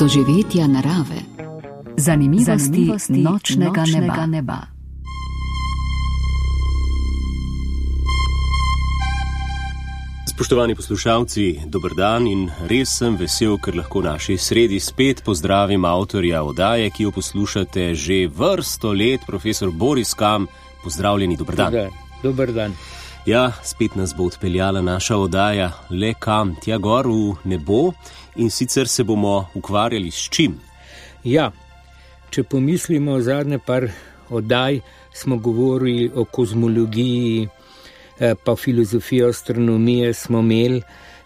doživetja narave, zanimivosti nočnega neba. Spoštovani poslušalci, dober dan in res sem vesel, ker lahko v naši sredi spet pozdravim avtorja oddaje, ki jo poslušate že vrsto let, profesor Boris Kam. Pozdravljeni, dober dan. Dober dan. Ja, spet nas bo odpeljala naša oddaja le kam, tja gor v nebo, in sicer se bomo ukvarjali s čim? Ja, če pomislimo zadnje par oddaj, smo govorili o kozmologiji, pa filozofijo astronomije smo imeli,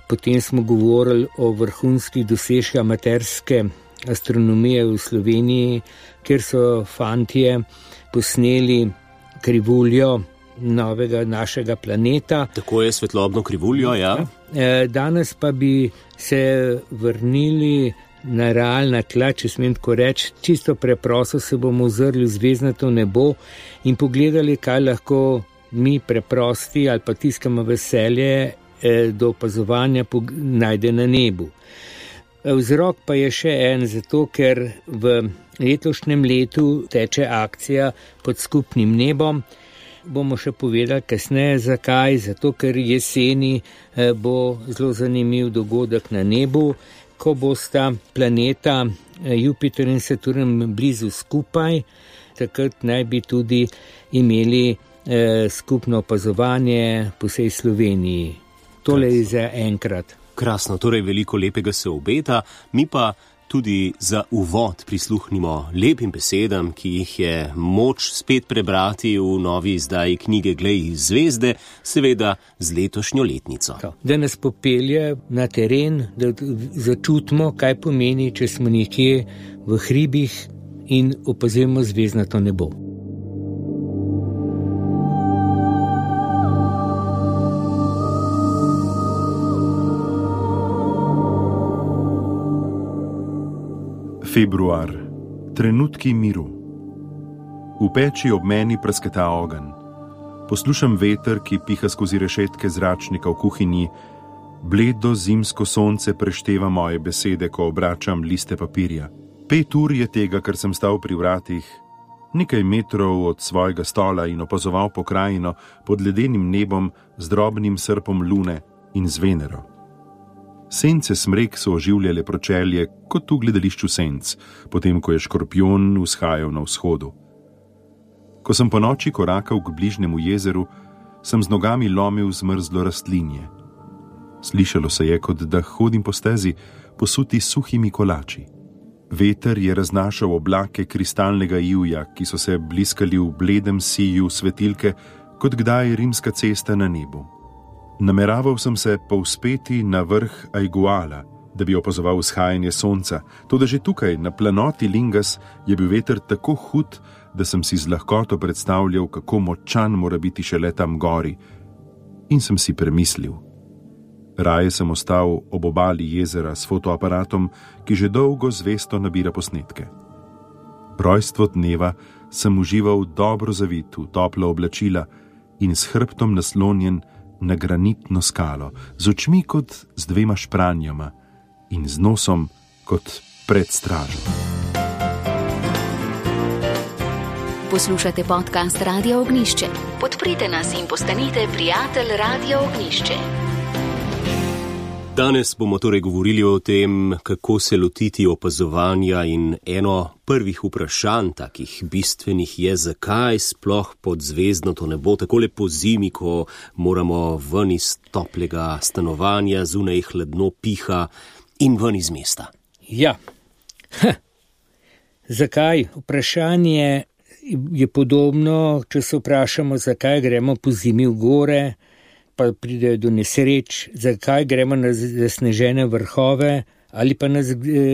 potem smo govorili o vrhunskih dosežkih amaterske astronomije v Sloveniji, kjer so fantje posneli krivuljo novega našega planeta. Tako je, svetlobno krivuljo, ja. Danes pa bi se vrnili na realna tla, če smem tako reči, čisto preprosto se bomo ozrli v zvezdnato nebo in pogledali, kaj lahko mi preprosti ali pa tiskamo veselje do opazovanja najde na nebu. Vzrok pa je še en, zato ker v letošnjem letu teče akcija Pod skupnim nebom. Bomo še povedali kasneje zakaj, zato ker jeseni bo zelo zanimiv dogodek na nebu, ko bosta planeta Jupiter in Saturn blizu skupaj, takrat naj bi tudi imeli skupno opazovanje po vsej Sloveniji. Tole je za enkrat. Krasno, torej veliko lepega se obeta, mi pa tudi za uvod prisluhnimo lepim besedam, ki jih je moč spet prebrati v novi izdaji knjige Glej zvezde, seveda z letošnjo letnico. Da nas popelje na teren, da začutimo, kaj pomeni, če smo nekje v hribih in opazujemo zvezdnato nebo. Februar. Trenutki miru. V peči ob meni prasketa ogenj. Poslušam veter, ki piha skozi rešetke zračnika v kuhinji. Bledo zimsko sonce prešteva moje besede, ko obračam liste papirja. 5 ur je tega, ker sem stal pri vratih, nekaj metrov od svojega stola in opazoval pokrajino pod ledenim nebom z drobnim srpom lune in z Venero. Sence smrek so oživljale pročelje kot v gledališču senc, potem ko je škorpion vzhajal na vzhodu. Ko sem ponoči korakal k bližnjemu jezeru, sem z nogami lomil zmrzlo rastlinje. Slišalo se je, kot da hodim po stezi, posuti suhimi kolači. Veter je raznašal oblake kristalnega ivja, ki so se bliskali v bledem siju svetilke, kot kdaj rimska cesta na nebu. Nameraval sem se povzpeti na vrh Aiguala, da bi opazoval vzhajanje sonca, toda že tukaj, na planoti Lingas, je bil veter tako hud, da sem si z lahkoto predstavljal, kako močan mora biti šele tam gori, in sem si premislil. Raje sem ostal ob obali jezera s fotoaparatom, ki že dolgo zvesto nabira posnetke. Rojstvo dneva sem užival dobro zavit v topla oblačila in s hrbtom naslonjen na granitno skalo, z očmi kot z 2 špranjama in z nosom kot pred stražo. Poslušate podcast Radio Ognjišče. Podprite nas in postanite prijatelj Radio Ognjišče. Danes bomo torej govorili o tem, kako se lotiti opazovanja, in eno prvih vprašanj, takih bistvenih, je, zakaj sploh pod zvezdnato nebo, takole po zimi, ko moramo ven iz toplega stanovanja, zunaj hladno piha in ven iz mesta. Ja, zakaj? Vprašanje je podobno, če se vprašamo, zakaj gremo po zimi v gore, pa pridejo do nesreč, zakaj gremo na zasnežene vrhove ali pa nas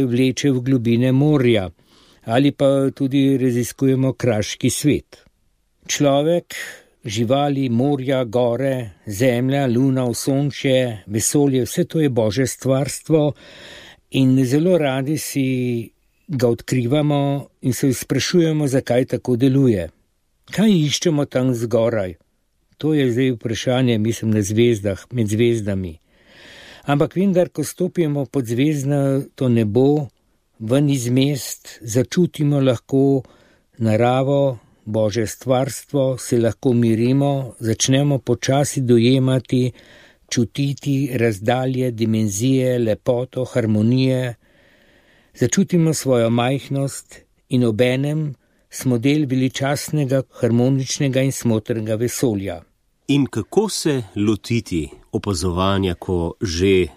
vleče v globine morja ali pa tudi raziskujemo kraški svet. Človek, živali, morja, gore, zemlja, luna, osončje, vesolje, vse to je Božje stvarstvo in zelo radi si ga odkrivamo in se sprašujemo, zakaj tako deluje. Kaj iščemo tam zgoraj? To je zdaj vprašanje, mislim, na zvezdah, med zvezdami. Ampak vendar, ko stopimo pod zvezdnato nebo, ven iz mest, začutimo lahko naravo, Božje stvarstvo, se lahko mirimo, začnemo počasi dojemati, čutiti razdalje, dimenzije, lepoto, harmonije, začutimo svojo majhnost in obenem smo del veličastnega, harmoničnega in smotrnega vesolja. In kako se lotiti opazovanja, ko že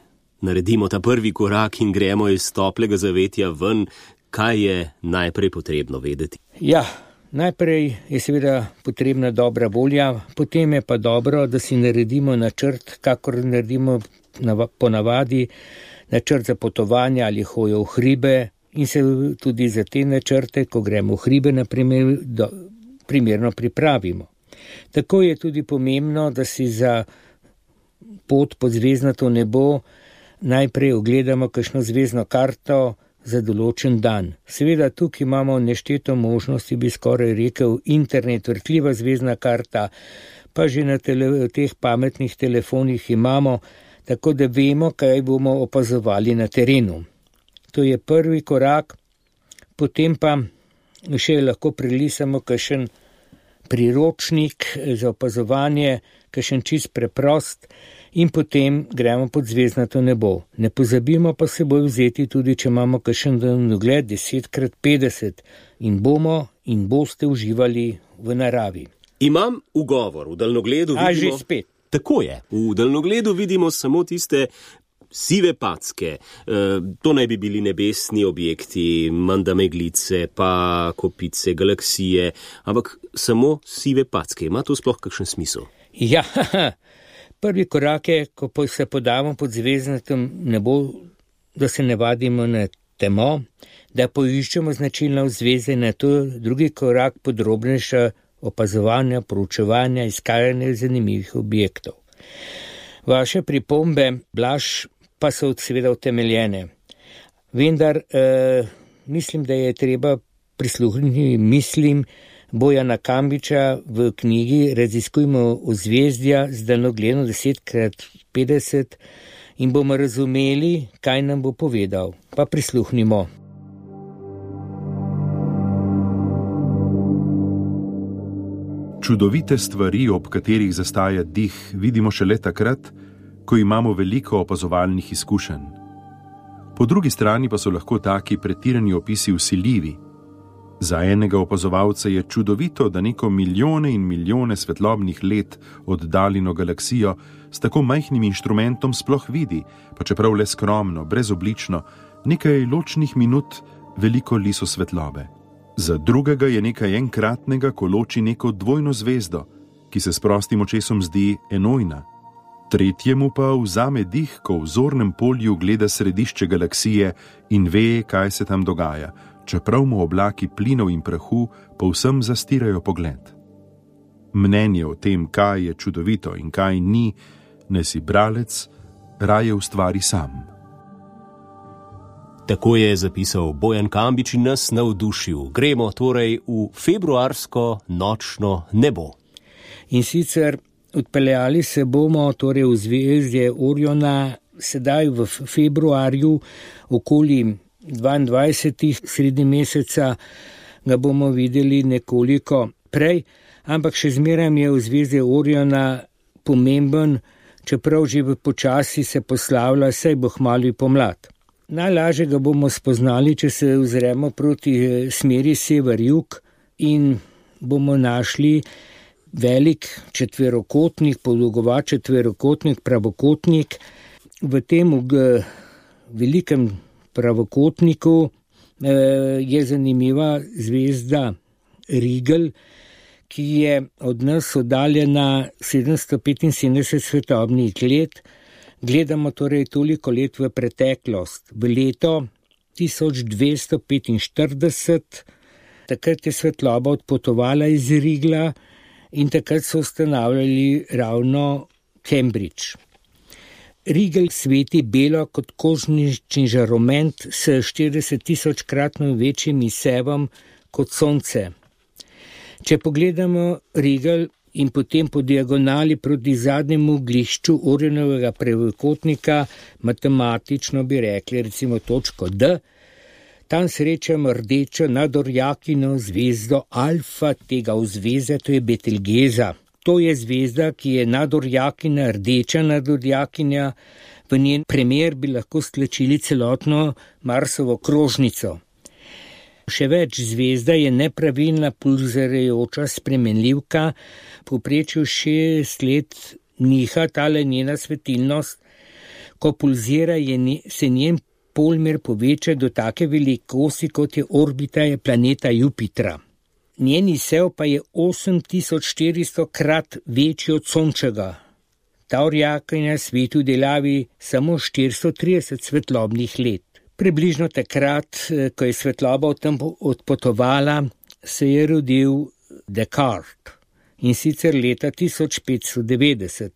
naredimo ta prvi korak in gremo iz toplega zavetja ven, kaj je najprej potrebno vedeti? Ja, najprej je seveda potrebna dobra volja, potem je pa dobro, da si naredimo načrt, kakor naredimo ponavadi, načrt za potovanje ali hojo v hribe in se tudi za te načrte, ko gremo v hribe, naprimer, primerno pripravimo. Tako je tudi pomembno, da si za pot pod zvezdnato nebo najprej ogledamo kakšno zvezdno karto za določen dan. Seveda tukaj imamo nešteto možnosti, bi skoraj rekel, internet, vrtljiva zvezdna karta, pa že na teh pametnih telefonih imamo, tako da vemo, kaj bomo opazovali na terenu. To je prvi korak, potem pa še lahko prelisamo kakšen priročnik za opazovanje, kakšen čist preprost in potem gremo pod zvezdnato nebo. Ne pozabimo pa seboj vzeti tudi, če imamo kakšen daljnogled 10x50 in bomo in boste uživali v naravi. Imam ugovor, v daljnogledu vidimo... že spet. Tako je, v daljnogledu vidimo samo tiste sive packe, to naj bi bili nebesni objekti, menda meglice, pa kopice, galaksije, ampak samo sive packe. Ima to sploh kakšen smisel? Ja, prvi korak je, ko se podamo pod zvezdnatem nebo, da se ne vadimo na temo, da poiščemo značilne zvezde, na to drugi korak podrobnejša opazovanja, proučevanja, iskanja zanimivih objektov. Vaše pripombe, Blaž, pa so seveda utemeljene. Vendar mislim, da je treba prisluhniti mislim Bojana Kambiča v knjigi Raziskujmo ozvezdja z daljnogledom 10x50 in bomo razumeli, kaj nam bo povedal. Pa prisluhnimo. Čudovite stvari, ob katerih zastaja dih, vidimo šele takrat, ko imamo veliko opazovalnih izkušenj. Po drugi strani pa so lahko taki pretirani opisi vsiljivi. Za enega opazovalca je čudovito, da neko milijone in milijone svetlobnih let oddaljeno galaksijo s tako majhnim inštrumentom sploh vidi, pa čeprav le skromno, brezoblično, nekaj ločnih minut veliko liso svetlobe. Za drugega je nekaj enkratnega, ko loči neko dvojno zvezdo, ki se s prostim očesom zdi enojna. Tretjemu pa vzame dih, ko v zornem polju gleda središče galaksije in ve, kaj se tam dogaja, čeprav mu oblaki plinov in prahu povsem zastirajo pogled. Mnenje o tem, kaj je čudovito in kaj ni, naj si bralec raje ustvari sam. Tako je zapisal Bojan Kambič in nas navdušil. Gremo torej v februarsko nočno nebo. In sicer odpeljali se bomo torej v zvezdje Oriona sedaj v februarju, okoli 22. sredi meseca ga bomo videli nekoliko prej, ampak še zmeraj je v zvezdje Oriona pomemben, čeprav že počasi se poslavlja, saj bo kmalu pomlad. Najlažje ga bomo spoznali, če se ozremo proti smeri sever-jug in bomo našli velik četverokotnik, podolgovat četverokotnik, pravokotnik. V tem velikem pravokotniku je zanimiva zvezda Rigel, ki je od nas oddaljena 775 svetlobnih let. Gledamo torej toliko let v preteklost, v leto 1245, takrat je svetloba odpotovala iz Rigla in takrat so ustanavljali ravno Cambridge. Rigel sveti belo kot kožnični žaroment s 40.000-kratno večjim izsevom kot sonce. Če pogledamo Rigel in potem po diagonali proti zadnjemu oglišču Orionovega pravokotnika, matematično bi rekli recimo točko D, Tam srečam rdečo nadorjakino zvezdo Alfa tega vzveze, to je Betelgeza. To je zvezda, ki je nadorjakina, rdeča nadorjakinja. V njen primer bi lahko stlačili celotno Marsovo krožnico. Še več, zvezda je nepravilna pulzirajoča spremenljivka, povprečju 6 let niha tale njena svetilnost. Ko pulzira, se njen polmer poveča do take velikosti, kot je orbita planeta Jupitra. Njen izsev pa je 8400 krat večji od sončega. Ta orjakinja svetu delavi samo 430 svetlobnih let. Približno takrat, ko je svetloba od tam odpotovala, se je rodil Descartes, in sicer leta 1590.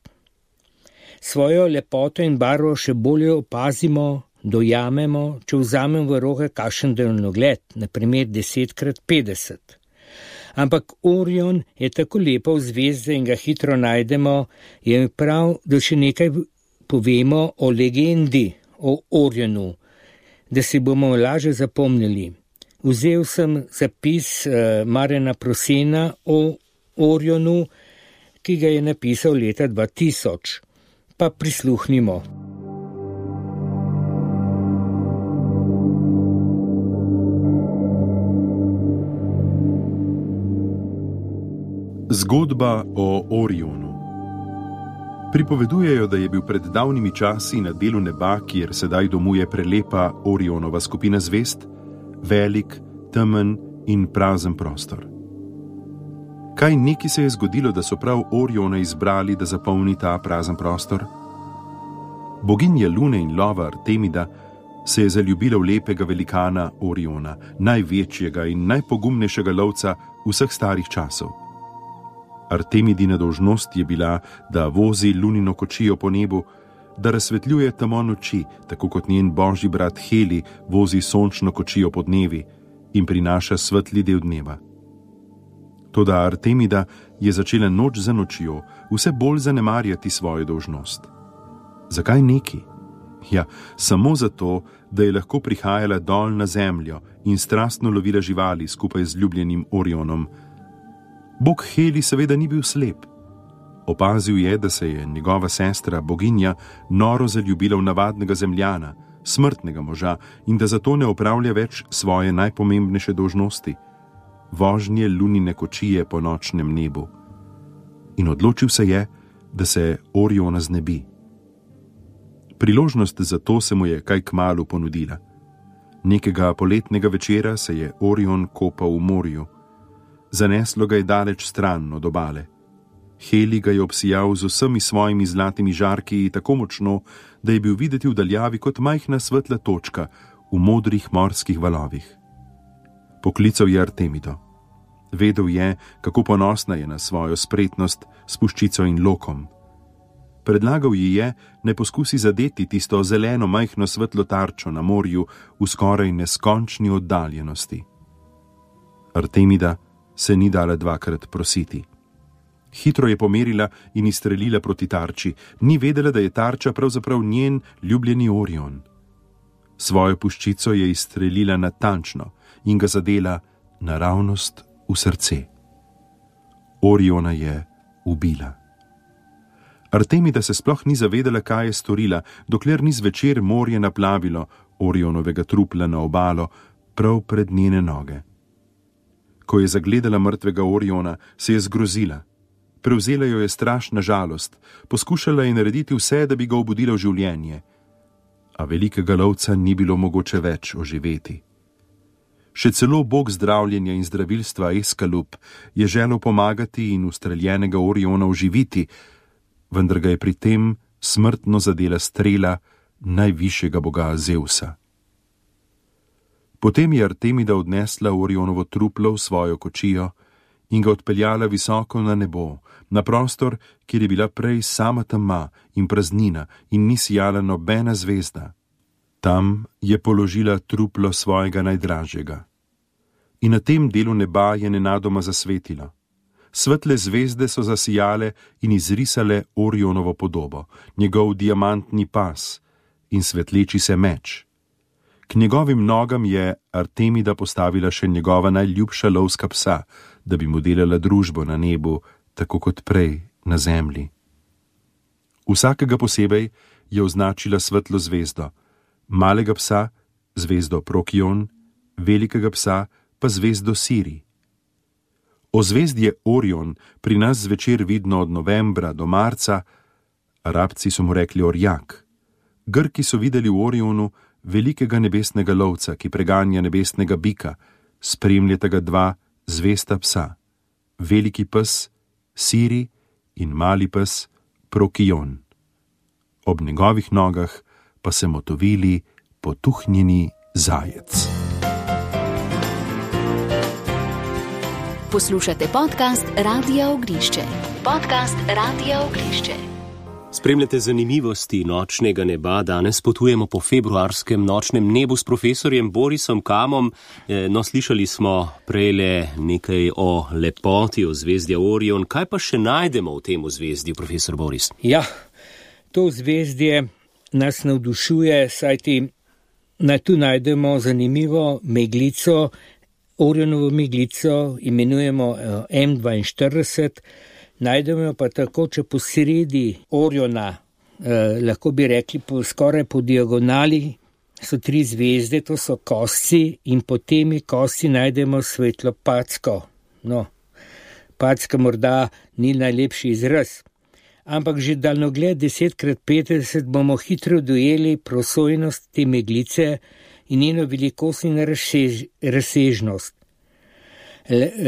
Svojo lepoto in barvo še bolje opazimo, dojamemo, če vzamemo v roke kakšen daljnogled, na primer 10x50. Ampak Orion je tako lepa zvezda in ga hitro najdemo, je prav, da še nekaj povemo o legendi o Orionu, da si bomo lažje zapomnili. Vzel sem zapis Marjana Prosena o Orionu, ki ga je napisal leta 2000. Pa prisluhnimo. Zgodba o Orionu. Pripovedujejo, da je bil pred davnimi časi na delu neba, kjer sedaj domuje prelepa Orionova skupina zvezd, velik, temen in prazen prostor. Kaj neki se je zgodilo, da so prav Oriona izbrali, da zapolni ta prazen prostor? Boginja Lune in lova Artemida se je zaljubila v lepega velikana Oriona, največjega in najpogumnejšega lovca vseh starih časov. Artemidina dolžnost je bila, da vozi lunino kočijo po nebu, da razsvetljuje temo noči, tako kot njen božji brat Heli vozi sončno kočijo po dnevi in prinaša svetli del dneva. Toda Artemida je začela noč za nočjo vse bolj zanemarjati svojo dolžnost. Zakaj neki? Ja, samo zato, da je lahko prihajala dol na zemljo in strastno lovila živali skupaj z ljubljenim Orionom. Bog Heli seveda ni bil slep. Opazil je, da se je njegova sestra, boginja, noro zaljubila v navadnega zemljana, smrtnega moža, in da zato ne opravlja več svoje najpomembnejše dolžnosti, vožnje lunine kočije po nočnem nebu. In odločil se je, da se Oriona znebi. Priložnost za to se mu je kaj kmalu ponudila. Nekega poletnega večera se je Orion kopal v morju. Zaneslo ga je daleč stran od obale. Heli ga je obsijal z vsemi svojimi zlatimi žarki tako močno, da je bil videti v daljavi kot majhna svetla točka v modrih morskih valovih. Poklical je Artemido. Vedel je, kako ponosna je na svojo spretnost s puščico in lokom. Predlagal ji je, naj poskusi zadeti tisto zeleno majhno svetlo tarčo na morju v skoraj neskončni oddaljenosti. Artemida se ni dala dvakrat prositi. Hitro je pomerila in izstrelila proti tarči, ni vedela, da je tarča pravzaprav njen ljubljeni Orion. Svojo puščico je izstrelila natančno in ga zadela naravnost v srce. Oriona je ubila. Artemida se sploh ni zavedala, kaj je storila, dokler ni zvečer morje naplavilo Orionovega trupla na obalo prav pred njene noge. Ko je zagledala mrtvega Oriona, se je zgrozila. Prevzela jo je strašna žalost, poskušala je narediti vse, da bi ga obudila v življenje, a velikega lovca ni bilo mogoče več oživeti. Še celo bog zdravljenja in zdravilstva Eskalub je želel pomagati in ustreljenega Oriona oživiti, vendar ga je pri tem smrtno zadela strela najvišjega boga Zeusa. Potem je Artemida odnesla Orionovo truplo v svojo kočijo in ga odpeljala visoko na nebo, na prostor, kjer je bila prej sama tema in praznina in ni sijala nobena zvezda. Tam je položila truplo svojega najdražjega. In na tem delu neba je nenadoma zasvetilo. Svetle zvezde so zasijale in izrisale Orionovo podobo, njegov diamantni pas in svetleči se meč. K njegovim nogam je Artemida postavila še njegova najljubša lovska psa, da bi mu delala družbo na nebu, tako kot prej na zemlji. Vsakega posebej je označila svetlo zvezdo, malega psa zvezdo Prokion, velikega psa pa zvezdo Siri. Ozvezdje Orion pri nas zvečer vidno od novembra do marca, Arabci so mu rekli orjak. Grki so videli v Orionu velikega nebesnega lovca, ki preganja nebesnega bika, spremljata ga dva zvesta psa, veliki pes Siri in mali pes Prokion. Ob njegovih nogah pa se motovili potuhnjeni zajec. Poslušate podcast Radia Ognišče. Podcast Radia Ognišče. Spremljate zanimivosti nočnega neba. Danes potujemo po februarskem nočnem nebu s profesorjem Borisom Kamom. No, slišali smo prejle nekaj o lepoti ozvezdja Orion. Kaj pa še najdemo v tem ozvezdju, profesor Boris? Ja, to ozvezdje nas navdušuje, saj tu najdemo zanimivo meglico, Orionovo meglico, imenujemo M42, najdemo pa tako, če po sredi Oriona, lahko bi rekli skoraj po diagonali, so 3 zvezde, to so kosci, in po temi kosci najdemo svetlo packo. No, packa morda ni najlepši izraz, ampak že daljnogled 10x50 bomo hitro dojeli prosojnost te meglice in njeno velikost in razsežnost.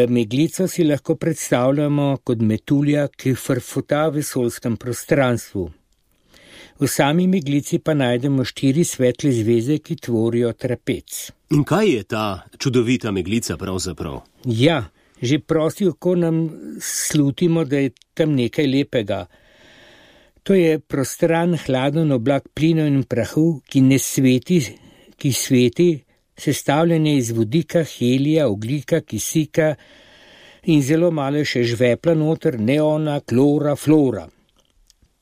Meglico si lahko predstavljamo kot metulja, ki frfota v vesoljskem prostranstvu. V sami meglici pa najdemo 4 svetle zvezde, ki tvorijo trapec. In kaj je ta čudovita meglica pravzaprav? Ja, že prosti oko nam slutimo, da je tam nekaj lepega. To je prostran, hladen oblak plinov in prahu, ki sveti, sestavljanje iz vodika, helija, ogljika, kisika in zelo malo še žvepla noter, neona, klora, flora.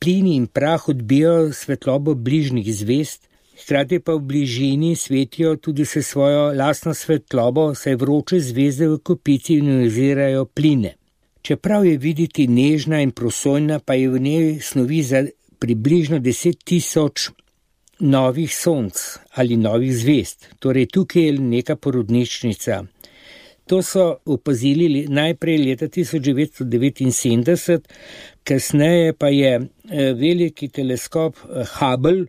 Plini in prah odbijajo svetlobo bližnjih zvezd, hkrati pa v bližini svetijo tudi se svojo lastno svetlobo, saj vroče zvezde v kopici ionizirajo pline. Čeprav je videti nežna in prosojna, pa je v njej snovi za približno 10.000 novih sonc ali novih zvezd. Torej tukaj je neka porodnišnica. To so opazili najprej leta 1979, kasneje pa je veliki teleskop Hubble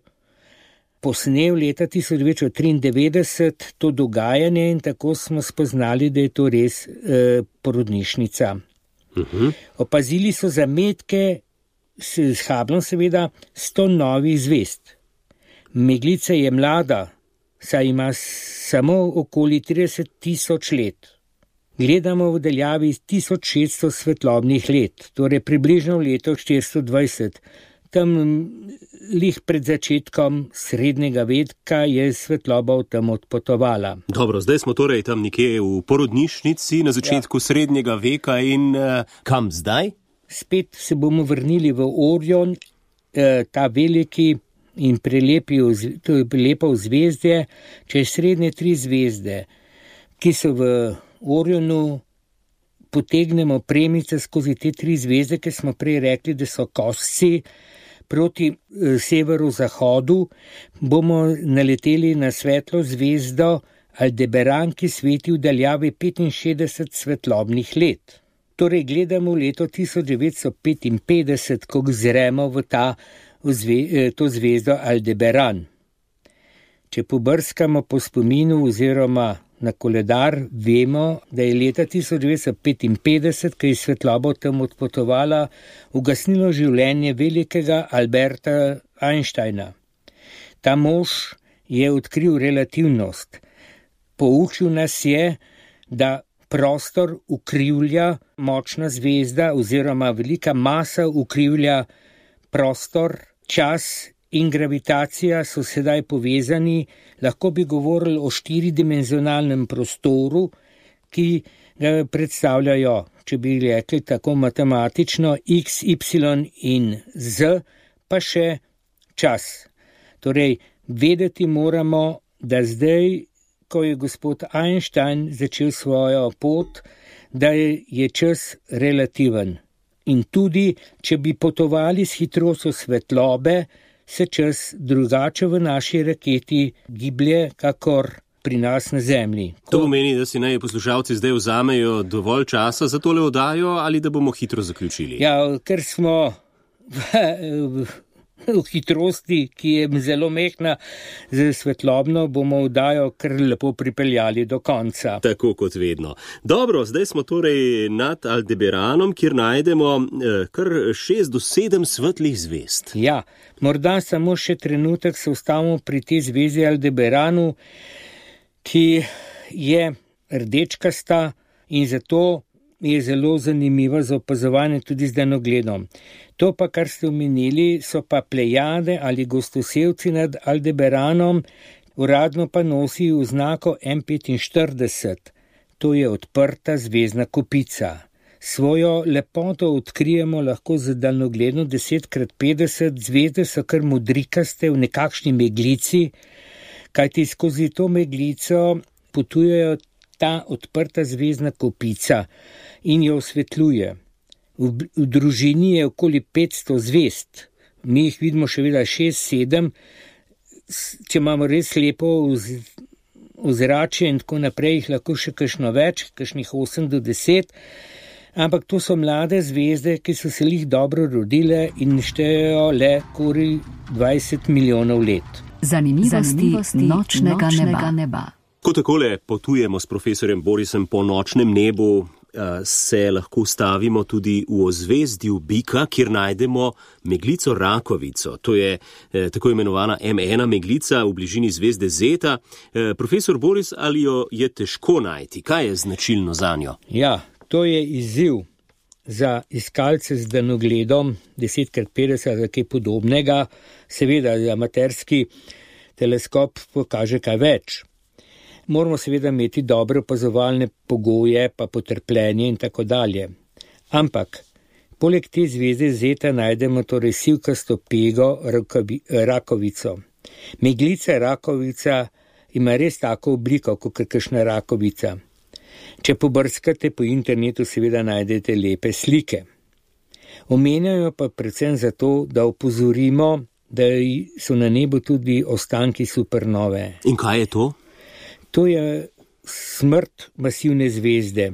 posnel leta 1993 to dogajanje in tako smo spoznali, da je to res porodnišnica. Opazili so zametke s Hubblom seveda 100 novih zvezd. Meglica je mlada, saj ima samo okoli 30.000 let. Gledamo v daljavi 1600 svetlobnih let, torej približno v leto 420. Tam lih pred začetkom srednjega veka je svetloba tam odpotovala. Dobro, zdaj smo torej tam nekje v porodnišnici na začetku srednjega veka in kam zdaj? Spet se bomo vrnili v Orion, ta veliki in lepo zvezdje, čez srednje 3 zvezde, ki so v Orionu, potegnemo premice skozi te 3 zvezde, ki smo prej rekli, da so kosci, proti severu-zahodu bomo naleteli na svetlo zvezdo Aldebaran, ki sveti v daljavi 65 svetlobnih let. Torej gledamo leto 1955, ko zremo v to zvezdo Aldebaran. Če pobrskamo po spominu oziroma na koledar, vemo, da je leta 1955, ko je svetloba tam odpotovala, ugasnilo življenje velikega Alberta Einsteina. Ta mož je odkril relativnost. Poučil nas je, da prostor ukrivlja močna zvezda oziroma velika masa ukrivlja prostor, čas in gravitacija so sedaj povezani, lahko bi govorili o 4-dimenzionalnem prostoru, ki ga predstavljajo, če bi rekli tako matematično, x, y in z, pa še čas. Torej, vedeti moramo, da zdaj, ko je gospod Einstein začel svojo pot, da je čas relativen. In tudi, če bi potovali s hitrostjo svetlobe, se čas drugače v naši raketi giblje, kakor pri nas na Zemlji. To pomeni, da si naj poslušalci zdaj vzamejo dovolj časa za tole oddajo ali da bomo hitro zaključili? Ja, ker smo v hitrosti, ki je zelo mehna, z svetlobno bomo oddajo kar lepo pripeljali do konca. Tako kot vedno. Dobro, zdaj smo torej nad Aldebaranom, kjer najdemo kar 6 do 7 svetlih zvezd. Ja, morda samo še trenutek se ustavimo pri tej zvezdi Aldebaranu, ki je rdečkasta in zato je zelo zanimiva za opazovanje tudi z daljnogledom. To pa, kar ste omenili, so pa Plejade ali gostosevci nad Aldebaranom, uradno pa nosi oznako M45. To je odprta zvezdna kopica. Svojo lepoto odkrijemo lahko z daljnogledom 10x50, zvezde so kar modrikaste v nekakšni meglici, kajti skozi to meglico potujejo ta odprta zvezdna kopica in jo osvetljuje. V družini je okoli 500 zvezd, mi jih vidimo še vedno 6-7, če imamo res lepo ozračje in tako naprej, jih lahko še kakšno več, kakšnih 8 do 10, ampak to so mlade zvezde, ki so se jih dobro rodile in štejejo le okoli 20 milijonov let. Zanimivosti nočnega neba. Ko takole potujemo s profesorjem Borisem po nočnem nebu, se lahko stavimo tudi v ozvezdju Bika, kjer najdemo meglico Rakovico. To je tako imenovana M1 meglica v bližini zvezde Zeta. Profesor Boris, ali jo je težko najti? Kaj je značilno zanjo? Ja, to je izziv za iskalce z daljnogledom 10x50 ali kaj podobnega. Seveda, amaterski teleskop pokaže kaj več. Moramo seveda imeti dobre opazovalne pogoje, pa potrpljenje in tako dalje. Ampak, poleg te zvezde Zeta najdemo torej sivkasto pego Rakovico. Meglica Rakovica ima res tako obliko, kot kakšna rakovica. Če pobrskate po internetu, seveda najdete lepe slike. Omenjajo pa predvsem zato, da opozorimo, da so na nebu tudi ostanki supernove. In kaj je to? To je smrt masivne zvezde,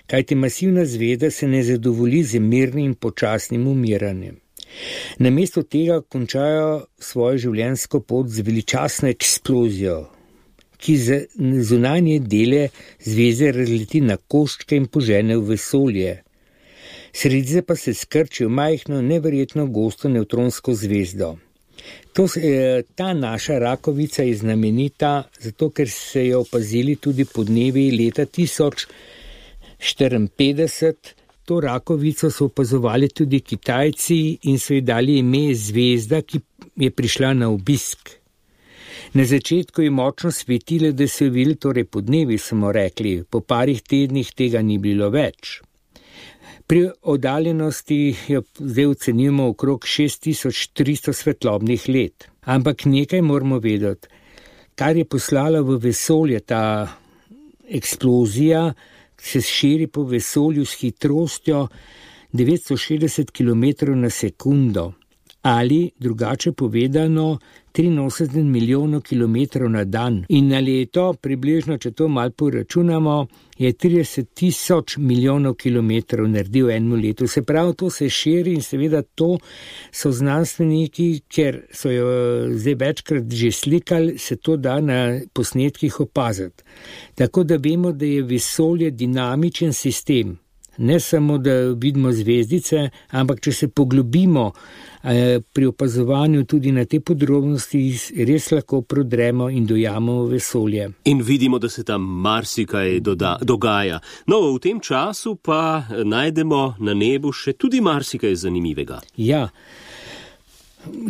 kajti masivna zvezda se ne zadovolji z mirnim in počasnim umiranjem. Namesto tega končajo svojo življenjsko pot z veličastno eksplozijo, ki zunanje dele zvezde razleti na koščke in požene v vesolje. Sredice pa se skrči v majhno, neverjetno gosto nevtronsko zvezdo. Ta naša Rakovica je znamenita, zato ker se je opazili tudi podnevi leta 1054. To Rakovico so opazovali tudi Kitajci in so ji dali ime zvezda, ki je prišla na obisk. Na začetku je močno svetilo, da so jo videli, torej podnevi smo rekli, po parih tednih tega ni bilo več. Pri oddaljenosti jo zdaj ocenjujemo okrog 6300 svetlobnih let. Ampak nekaj moramo vedeti, kar je poslala v vesolje ta eksplozija, se širi po vesolju s hitrostjo 960 km na sekundo ali drugače povedano 83 milijonov kilometrov na dan. In na leto, približno, če to malo poračunamo, je 30 000 milijonov kilometrov naredil eno leto. Se pravi, to se širi in seveda to so znanstveniki, ker so jo zdaj večkrat že slikali, se to da na posnetkih opaziti. Tako da vemo, da je vesolje dinamičen sistem. Ne samo, da vidimo zvezdice, ampak če se poglobimo pri opazovanju tudi na te podrobnosti, res lahko prodremo in dojamemo vesolje. In vidimo, da se tam marsikaj dogaja. No, v tem času pa najdemo na nebu še tudi marsikaj zanimivega. Ja,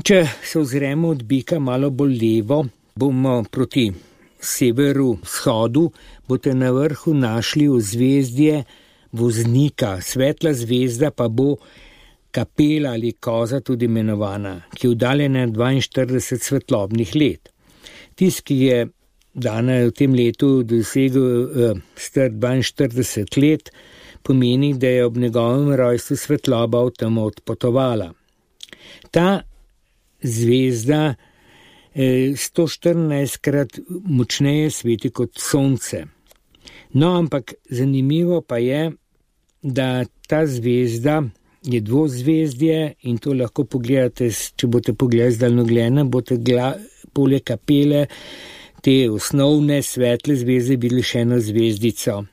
če se ozremo od Bika malo bolj levo, bomo proti severu, vzhodu, boste na vrhu našli ozvezdje Voznika, svetla zvezda pa bo Kapela ali Koza tudi imenovana, ki je oddaljena 42 svetlobnih let. Tisti, ki je dana je v tem letu dosegel star 42 let, pomeni, da je ob njegovem rojstvu svetloba v temo odpotovala. Ta zvezda 114krat močneje sveti kot sonce. No, ampak zanimivo pa je, da ta zvezda je dvozvezdje in to lahko pogledate, če boste pogledali z daljnogleda, boste poleg Kapele te osnovne svetle zvezde videli še eno zvezdico.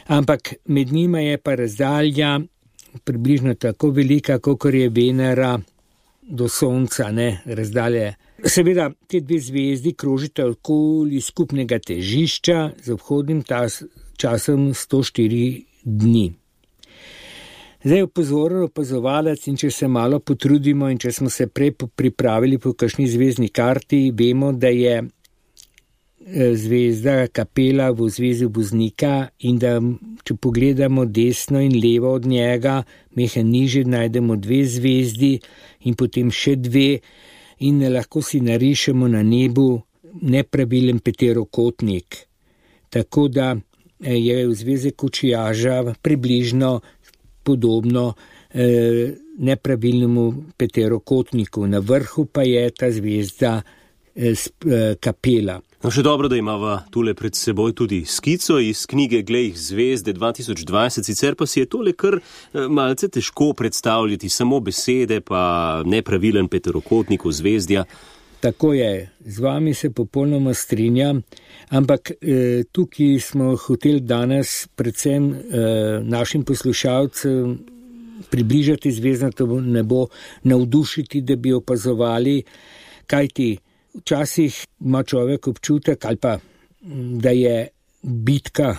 Ampak med njima je pa razdalja približno tako velika, kakor je Venera do Sonca, razdalje. Seveda, te dve zvezdi krožita okoli skupnega težišča z obhodnim časom 104 dni. Zdaj pozoren opazovalec in če se malo potrudimo in če smo se prej pripravili po kakšni zvezdni karti, vemo, da je zvezda Kapela v zvezdi Voznika in da, če pogledamo desno in levo od njega, mehe niže najdemo dve zvezdi in potem še dve in lahko si narišemo na nebu nepravilen peterokotnik. Tako da je v zvezdi Kočijaža približno podobno nepravilnemu peterokotniku. Na vrhu pa je ta zvezda Kapela. No, še dobro, da imava tule pred seboj tudi skico iz knjige Glej zvezde 2020, sicer pa si je tole kar malce težko predstavljati, samo besede pa nepravilen peterokotnik v zvezdja. Tako je, z vami se popolnoma strinjam, ampak tukaj smo hoteli danes predvsem našim poslušalcem približati zvezdnato nebo, navdušiti, da bi opazovali, kajti včasih ima človek občutek ali pa, da je bitka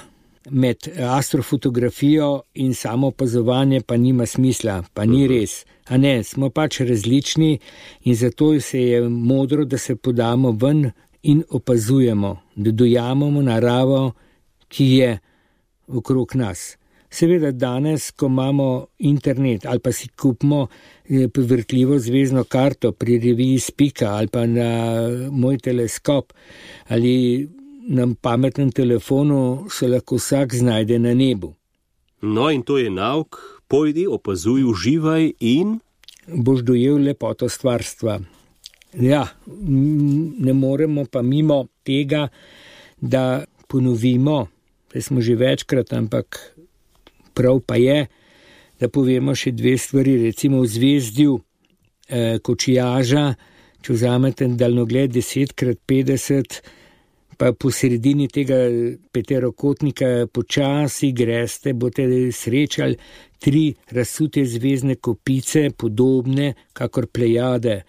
med astrofotografijo in samo opazovanje pa nima smisla, pa ni res. A ne, smo pač različni in zato se je modro, da se podamo ven in opazujemo, da dojamemo naravo, ki je okrog nas. Seveda danes, ko imamo internet ali pa si kupimo vrtljivo zvezdno karto pri reviji Spika ali pa na moj teleskop ali na pametnem telefonu, se lahko vsak znajde na nebu. No in to je nauk, pojdi, opazuj, uživaj in boš dojel lepoto stvarstva. Ja, ne moremo pa mimo tega, da ponovimo, da smo že večkrat, ampak prav pa je, da povemo še dve stvari, recimo v zvezdju Kočijaža, če vzamete daljnogled 10x50, pa po sredini tega peterokotnika počasi greste, boste srečali 3 razsute zvezdne kopice, podobne kakor Plejade.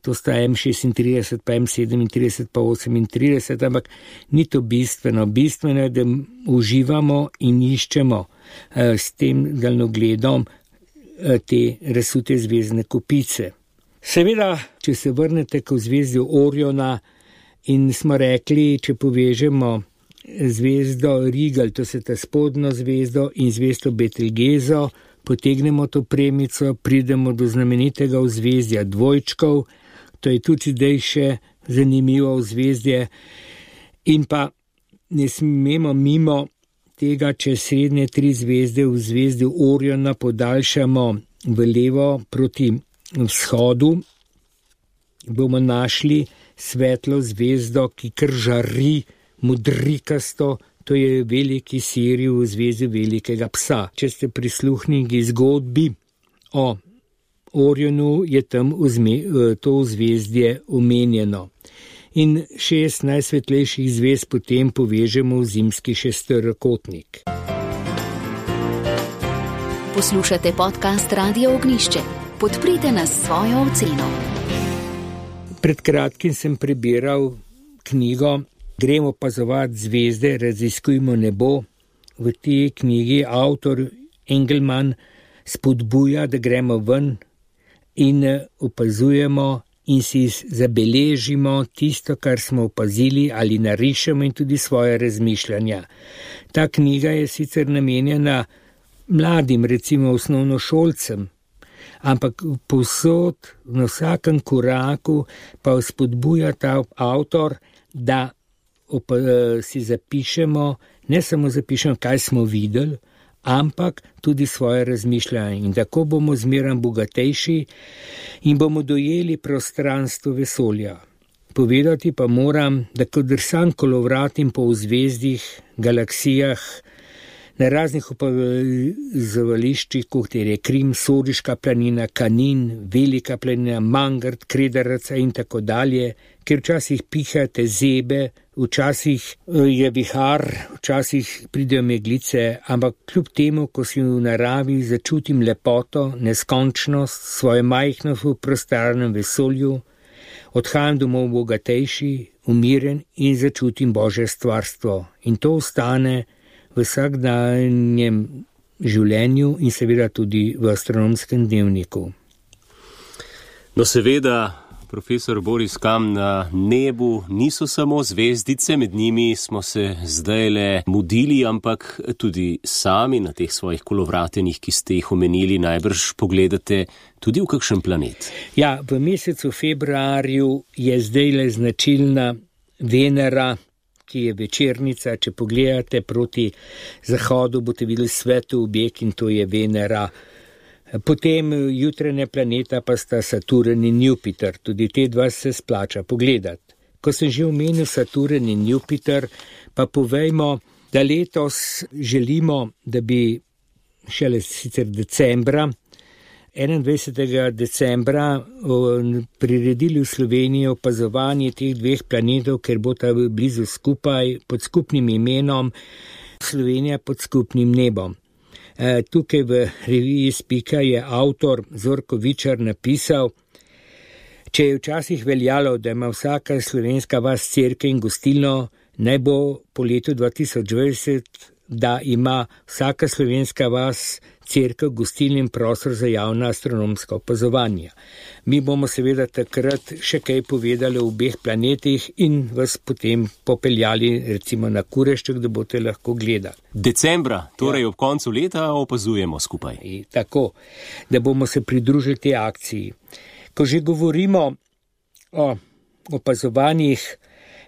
To sta M36, pa M37, pa 38, ampak ni to bistveno. Bistveno je, da uživamo in iščemo s tem daljnogledom te razsute zvezdne kopice. Seveda, če se vrnete k zvezdju Oriona in smo rekli, če povežemo zvezdo Rigel, to se ta spodnjo zvezdo in zvezdo Betelgezo, potegnemo to premico, pridemo do znamenitega ozvezdja dvojčkov, to je tudi zdaj še zanimivo ozvezdje in pa ne smemo mimo tega, če srednje 3 zvezde v zvezdi Oriona podaljšamo v levo proti vzhodu, bomo našli svetlo zvezdo, ki kar žari modrikasto, to je veliki Sirij v zvezdi velikega psa. Če ste prisluhnili zgodbi o Orionu, je tam to zvezdje omenjeno. In 6 najsvetlejših zvezd potem povežemo v zimski šesterokotnik. Poslušate podcast Radio Ognišče. Podprite nas s svojo oceno. Pred kratkim sem prebiral knjigo Gremo opazovati zvezde, raziskujmo nebo. V tej knjigi avtor Engelman spodbuja, da gremo ven in opazujemo in si zabeležimo tisto, kar smo opazili ali narišemo in tudi svoje razmišljanja. Ta knjiga je sicer namenjena mladim, recimo osnovnošolcem, ampak povsod, na vsakem koraku pa spodbuja ta avtor, da si zapišemo, ne samo zapišemo, kaj smo videli, ampak tudi svoje razmišljanje. In tako bomo zmeraj bogatejši in bomo dojeli prostranstvo vesolja. Povedati pa moram, da ko drsam kolovratim po zvezdih, galaksijah, na raznih opazovališčih, kot je Krim, Soriška planina, Kanin, Velika planina, Mangart, Kredaraca in tako dalje, ker včasih pihate zebe, včasih je vihar, včasih pridejo meglice, ampak kljub temu, ko si v naravi začutim lepoto, neskončnost, svoje majhnost v prostornem vesolju, odhajam domov bogatejši, umiren in začutim Božje stvarstvo. In to ostane v vsakdanjem življenju in seveda tudi v astronomskem dnevniku. No seveda, profesor Boris Kam, na nebu niso samo zvezdice, med njimi smo se zdajle mudili, ampak tudi sami na teh svojih kolovratenjih, ki ste jih omenili, najbrž pogledate tudi v kakšen planet. Ja, v mesecu februarju je zdajle značilna Venera, ki je večernica. Če pogledate proti zahodu, boste videli sveti objekt in to je Venera. Potem jutranja planeta pa sta Saturn in Jupiter, tudi te dva se splača pogledati. Ko sem že omenil Saturn in Jupiter, pa povejmo, da letos želimo, da bi šele sicer decembra, 21. decembra priredili v Sloveniji opazovanje teh dveh planetov, ker bo ta blizu skupaj pod skupnim imenom Slovenija pod skupnim nebom. Tukaj v reviji Spika je avtor Zorko Vičar napisal, če je včasih veljalo, da ima vsaka slovenska vas cerkev in gostilno, naj bo po letu 2020, da ima vsaka slovenska vas cerkev, gostilno in prostor za javna astronomska opazovanja. Mi bomo seveda takrat še kaj povedali o obeh planetih in vas potem popeljali recimo na Kurešček, da boste lahko gledali. Decembra, torej ob koncu leta, opazujemo skupaj. Tako, da bomo se pridružili tej akciji. Ko že govorimo o opazovanjih,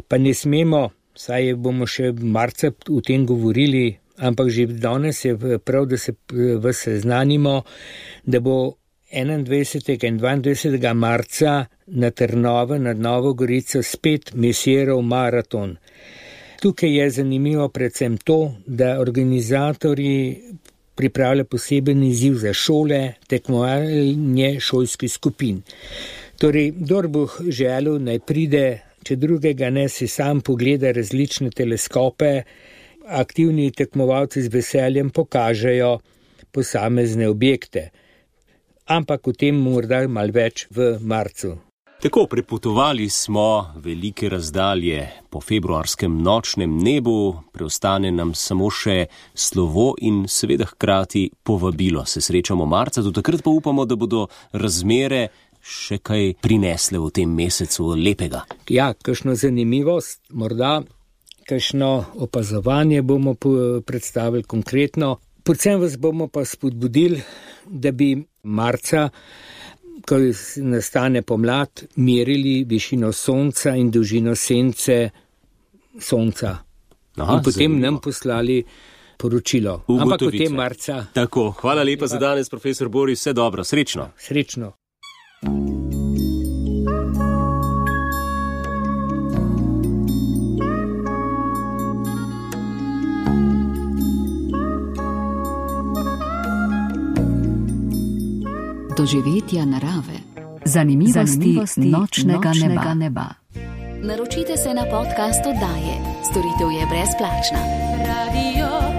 pa ne smemo, saj bomo še v marca o tem govorili, ampak že danes je prav, da se vas seznanimo, da bo 21. in 22. marca na Trnovo nad Novo Gorico spet Mesierov maraton. Tukaj je zanimivo predvsem to, da organizatorji pripravljajo poseben izziv za šole, tekmovanje šolskih skupin. Torej, kdor bo želel, naj pride, če drugega ne, si sam pogleda različne teleskope, aktivni tekmovalci z veseljem pokažejo posamezne objekte. Ampak o tem morda malo več v marcu. Tako, prepotovali smo velike razdalje po februarskem nočnem nebu, preostane nam samo še slovo in seveda hkrati povabilo. Se srečamo marca, do takrat pa upamo, da bodo razmere še kaj prinesle v tem mesecu lepega. Ja, kakšno zanimivost, morda kakšno opazovanje bomo predstavili konkretno. Predvsem vas bomo pa spodbudili, da bi marca, ko nastane pomlad, merili višino sonca in dolžino sence sonca. In potem nam poslali poročilo. Ampak potem marca. Tako, hvala lepa za danes, profesor Boris, vse dobro, srečno. Srečno. Doživetja narave. Zanimivosti nočnega neba. Naročite se na podcast oddaje. Storitev je brezplačna. Radio